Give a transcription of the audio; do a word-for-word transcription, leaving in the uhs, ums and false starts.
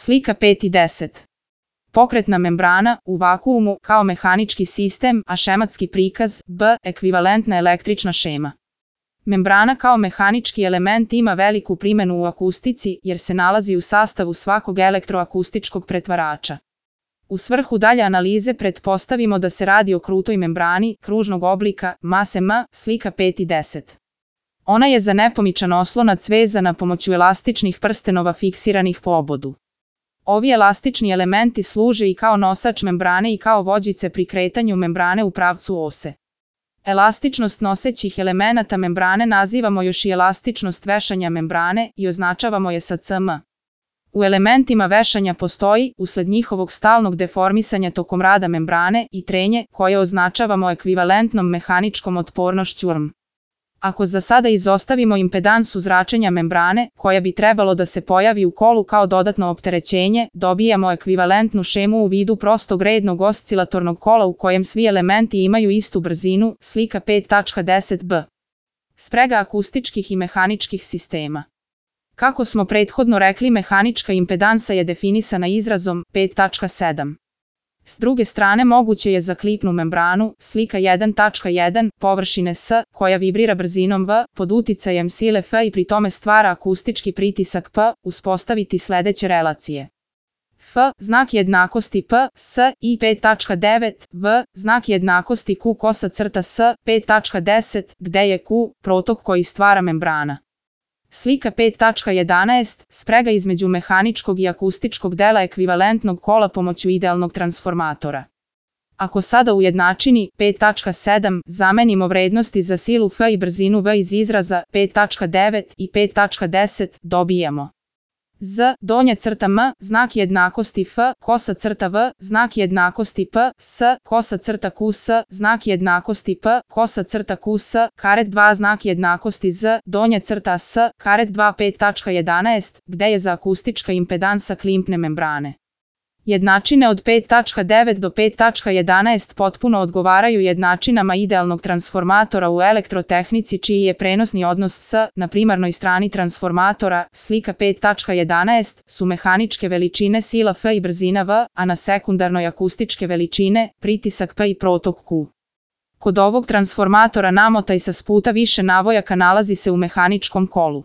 Slika pet i deset. Pokretna membrana u vakuumu kao mehanički sistem, a šematski prikaz B ekvivalentna električna šema. Membrana kao mehanički element ima veliku primjenu u akustici jer se nalazi u sastavu svakog elektroakustičkog pretvarača. U svrhu dalje analize pretpostavimo da se radi o krutoj membrani kružnog oblika mase M, slika pet i deset. Ona je za nepomičan oslonac vezana pomoću elastičnih prstenova fiksiranih po obodu. Ovi elastični elementi služe i kao nosač membrane i kao vođice pri kretanju membrane u pravcu ose. Elastičnost nosećih elemenata membrane nazivamo još i elastičnost vešanja membrane i označavamo je sa cm. U elementima vešanja postoji, usled njihovog stalnog deformisanja tokom rada membrane, i trenje, koje označavamo ekvivalentnom mehaničkom otpornošću R M. Ako za sada izostavimo impedansu zračenja membrane, koja bi trebalo da se pojavi u kolu kao dodatno opterećenje, dobijamo ekvivalentnu šemu u vidu prostog rednog oscilatornog kola u kojem svi elementi imaju istu brzinu, slika pet i deset b. Sprega akustičkih i mehaničkih sistema. Kako smo prethodno rekli, mehanička impedansa je definisana izrazom pet i sedam. S druge strane moguće je za klipnu membranu, slika jedan i jedan, površine S, koja vibrira brzinom V, pod uticajem sile F i pri tome stvara akustički pritisak P, uspostaviti sledeće relacije. F, znak jednakosti P, S i pet i devet, V, znak jednakosti Q kosa crta S, pet i deset, gde je Q, protok koji stvara membrana. Slika pet i jedanaest, sprega između mehaničkog i akustičkog dela ekvivalentnog kola pomoću idealnog transformatora. Ako sada u jednačini pet i sedam zamenimo vrednosti za silu F i brzinu V iz izraza pet i devet i pet i deset, dobijamo Z, donja crta M, znak jednakosti F, kosa crta V, znak jednakosti P, S, kosa crta Q S, znak jednakosti P, kosa crta Q S, karet dva znak jednakosti Z, donja crta S, karet dva pet i jedanaest, gde je za akustička impedansa klimpne membrane. Jednačine od pet i devet do pet i jedanaest potpuno odgovaraju jednačinama idealnog transformatora u elektrotehnici čiji je prenosni odnos S na primarnoj strani transformatora, slika pet i jedanaest, su mehaničke veličine sila F i brzina V, a na sekundarnoj akustičke veličine, pritisak P i protok Q. Kod ovog transformatora namotaj sa sputa više navojaka nalazi se u mehaničkom kolu.